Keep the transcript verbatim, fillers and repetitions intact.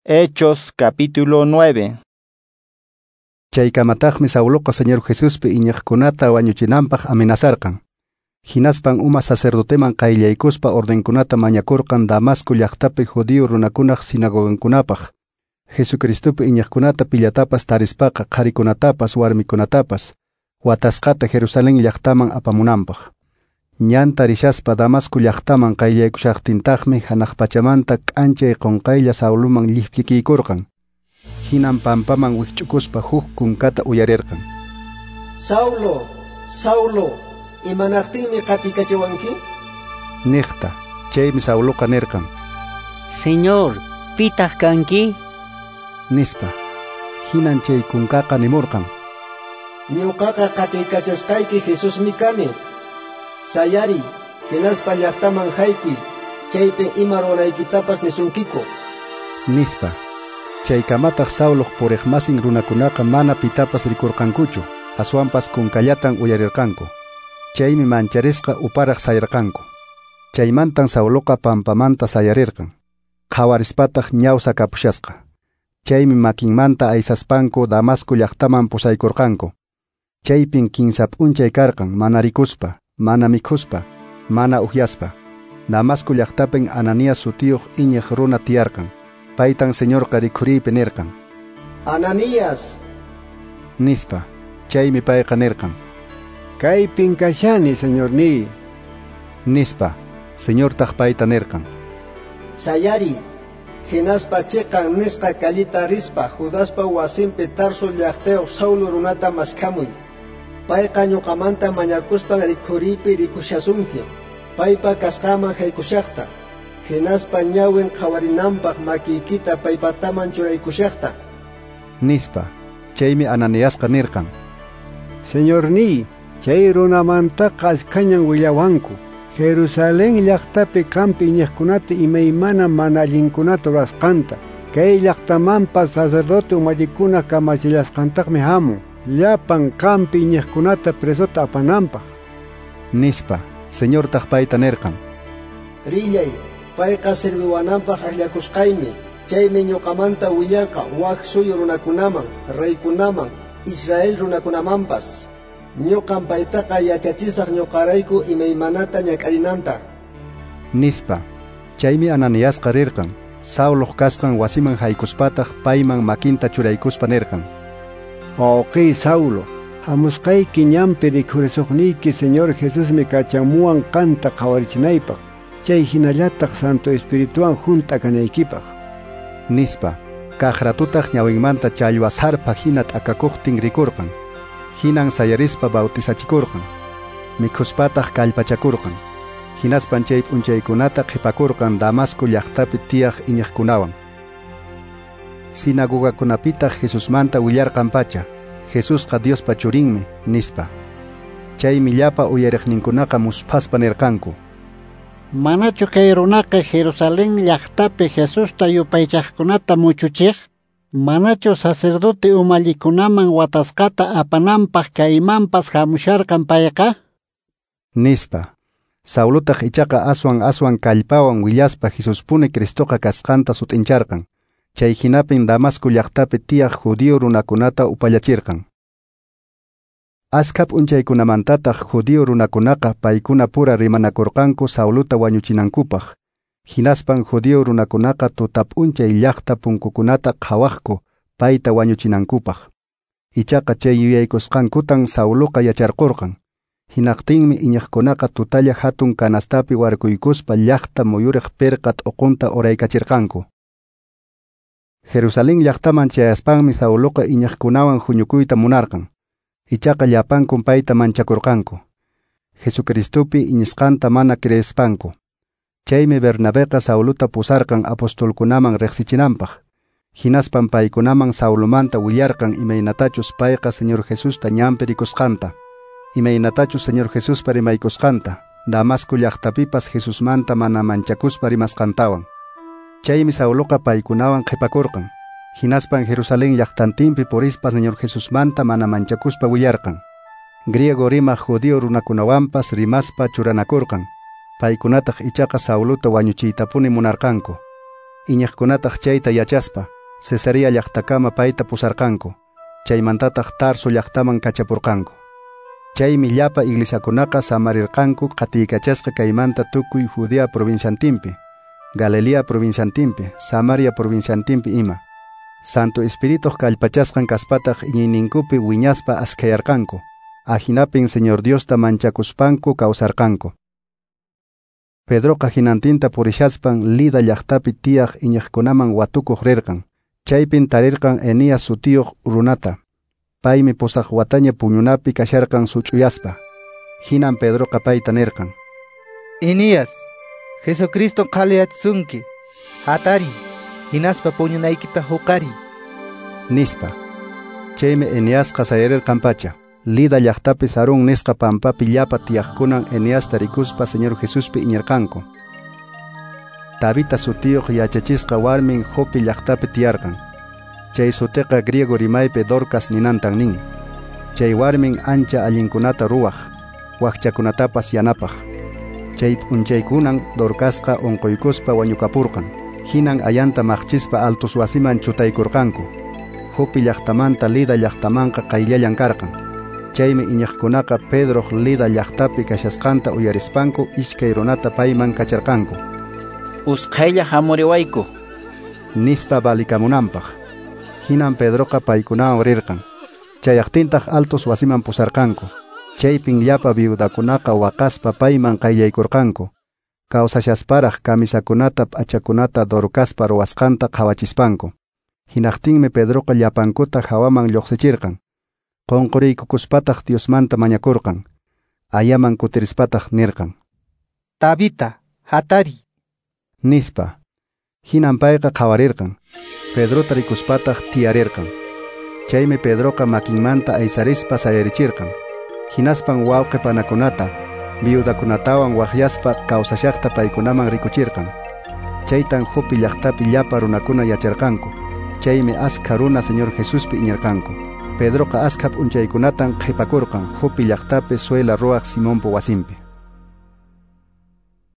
Hechos capítulo nueve. Chaykamataqmi Sauloqa Señor Jesuspi iñiqkunata wañuchinanpaq amenazarqan. Hinaspan uma sacerdoteman qayllaykuspa ordenkunata mañakurqan Damasco llaqtapi judío runakunaq sinagogankunapaq. Jesucristopi iñiqkunata pillatapas tarispaqa qharikunatapas warmikunatapas watasqata Jerusalén llaqtaman apamunanpaq. Ñanta rishaspa Damasco llaqtaman qayllaykushaqtintaqmi hanaq pachamanta k'anchay qunqaylla Sauloman lliplikiykurqan. Hinan pampaman wikch'ukuspa huk kunkata uyarirqan. Saulo, Saulo, imanaqtinmi qatikachiwanki? Niqta. Chaymi Sauloqa nirqan: Señor, pitaq kanki? Nispa. Hinan chay kunkaqa nimurqan: Ñuqaqa qatikachasqayki Jesusmi kani. Sayari, hinaspa llaqtaman haykuy, chaypi ima ruwanaykitapas nisunkiku. Nispa. Chaykamataq Sauloq puriqmasin runakunaqa mana pitapas rikurqankuchu, aswanpas kunkallatan uyarirqanku. Chaymi mancharisqa uparaq sayarqanku. Chaymantan Sauloqa pampamanta sayarirqan. Qhawarispataq ñawsa kapushasqa. Chaymi makinmanta aysaspanku Damasco llaqtaman pusaykurqanku. Chaypin kinsa p'unchay karqan mana rikuspa, mana mikhuspa, mana uhyaspa. Damasco llaqtapin Ananías sutiyuq iñiq runa tiyarqan. Paytan Señorqa rikhuriypi nirqan: Ananías, nispa. Chaymi payqa nirqan: Kaypin kashani, Señorniy, nispa. Señortaq payta nirqan: Sayari, hinaspa chiqan nisqa kallita rispa Judaspa wasinpi Tarso llaqtayuq Saulo runata maskhamuy. Payqa ñuqamanta mañakuspan rikhuriypi rikushasunki, paypa kasqaman haykushaqta, hinaspa ñawin qhawarinanpaq makiykita paypataman churaykushaqta, nispa. Chaymi Ananiasqa nirqan: Señorniy, chay runamantaqa askhañan willawanku. Jerusalén llaqtapi qampi iñiqkunata imaymana mana allinkunata rurasqanta. Kay llaqtamanpas sacerdote umallikuna kamachillasqantaqmi hamun, llapan qampi iñiqkunata presota apananpaq, nispa. Señortaq payta nirqan: Rillay, payqa sirviwananpaq akllakusqaymi. Chaymi ñuqamanta willanqa wak suyu runakunaman, reykunaman, Israel runakunamanpas. Ñuqam paytaqa yachachisaq ñuqarayku imaymanata ñak'arinanta, nispa. Chaymi Ananiasqa rirqan. Sauloq kasqan wasiman haykuspataq payman makinta churaykuspa nirqan: Wawqiy Saulo, hamusqayki ñanpi rikhurisuqniyki Señor Jesusmi kachamuwan qanta qhawarichinaypaq, chay hinallataq Santo Espirituwan hunt'a kanaykipaq, nispa. Kaq ratutaq ñawinmanta challwa sarpa hina t'akakuqtin rikurqan. Hinan sayarispa bautizachikurqan. Mikhuspataq kallpachakurqan. Hinaspan chay p'unchaykunata qhipakurqan Damasco llaqtapi tiyaq iñiqkunawan. Sinagogakunapitaq Jesusmanta willarqan pacha: Jesusqa Diospa churinmi, nispa. Chaymi llapa uyariqninkunaqa musphaspa nirqanku: Manachu kay runaqa Jerusalén llaqtapi Jesusta yupaychaqkunata muchuchiq? Manachu sacerdote umallikunaman watasqata apananpaq kaymanpas hamusharqan payqa? Nispa. Saulotaq ichaqa aswan aswan kallpawan willaspa Jesuspuni Cristoqa kasqanta sut'incharqan. Chay hinapin Damasco llaqtapi tiyaq judío runakunata upallachirqan. Askha p'unchaykunamantataq judío runakunaqa paykuna pura rimanakurqanku Saulota wañuchinankupaq. Hinaspan judío runakunaqa tuta p'unchay llaqta punkukunata qhawaqku payta wañuchinankupaq. Ichaqa chay yuyaykusqankutan Sauloqa yacharqurqan. Hinaqtinmi iñiqkunaqa tutalla hatun kanastapi warkuykuspa llaqta muyuriq pirqa t'uqunta uraykachirqanku. Jerusalén llaqtaman chayaspanmi Sauloqa iñiqkunawan huñukuyta munarqan. Ichaqa llapankun payta manchakurqanku, Jesucristopi iñisqanta mana creespanku. Chaymi Bernabeqa Saulota pusarqan apostolkunaman riqsichinanpaq. Hinaspan paykunaman Saulomanta willarqan imaynatachus payqa Señor Jesusta ñanpi rikusqanta, imaynatachus Señor Jesuspa rimaykusqanta, Damasco llaqtapipas Jesusmanta mana manchakuspa rimasqantawan. Chaymi Sauloqa paykunawan qhipakurqan. Hinaspan Jerusalén llaqtantinpi purispa Señor Jesusmanta mana manchakuspa willarqan. Griego rimaq judío runakunawanpas rimaspa churanakurqan. Paykunataq ichaqa Saulota wañuchiytapuni munarqanku. Iñiqkunataq chayta yachaspa, Cesarea llaqtakama payta pusarqanku, chaymantataq Tarso llaqtaman kachapurqanku. Chaymi llapa iglesiakunaqa samarirqanku qatiykachasqa kaymanta tukuy Judea provinciantinpi, Galilea provinciantinpi, Samaria provinciantinpi ima. Santo Espirituq kallpachasqan kaspataq iñiyninkupi wiñaspa askhayarqanku. Ajinapin Señor Diosta manchakuspanku kawsarqanku. Pedroqa hinantinta purishaspan Lida llaqtapi tiyaq iñiqkunaman watukuq rirqan. Chaypin tarirqan Enías sutiyuq runata. Paymi pusaq wataña puñunapi kasharqan such'uyaspa. Hinan Pedroqa payta nirqan: Enías, Jesucristo qhaliyachisunki. Hatari, hinaspa puñunaykita huqari, nispa. Chaymi Eneasqa sayarirqan pacha. Lida llaqtapi Sarón nisqa pampapi llapa tiyaqkunan Eneasta rikuspa Señor Jesuspi iñirqanku. Tabita sutiyuq yachachisqa warmin Jope llaqtapi tiyarqan. Chay sutiqa griego rimaypi Dorcas ninantan nin. Chay warmin ancha allinkunata ruwaq, wakchakunatapas yanapaq. Chay p'unchaykunan Dorcasqa unquykuspa wañukapurqan. Hinan ayanta maqchispa altos wasiman chutaykurqanku. Jope llaqtamanta Lida llaqtamanqa qayllallan karqan. Chaymi iñiqkunaqa Pedroq Lida llaqtapi kashasqanta uyarispanku iskay runata payman kacharqanku. Usqhaylla hamuriwayku, nispa valikamunanpaq. Hinan Pedroqa paykunawan rirqan. Chayaqtintaq altos wasiman pusarqanku. Chaypin llapa viudakunaqa waqaspa payman qayllaykurqanku. Kawsashasparaq kamisakunata p'achakunata Dorcaspa ruwasqanta qhawachispanku. Hinaqtinmi Pedroqa llapankuta hawaman lluqsichirqan. Qunquriykukuspataq Diosmanta mañakurqan. Ayaman kutirispataq nirqan: Tabita, hatari, nispa. Hinan payqa qhawarirqan. Pedrota rikuspataq tiyarirqan. Chaymi Pedroqa makinmanta aysarispa sayarichirqan. Hinaspan wawqi panakunata, viudakunatawan waqyaspa kawsashaqta paykunaman rikuchirqan. Chaytan Jope llaqtapi llapa runakuna yacharqanku. Chaymi askha runa Señor Jesuspi iñirqanku. Pedroqa askha p'unchaykunatan qhipakurqan Jope llaqtapi suela ruwaq Simonpa wasinpi.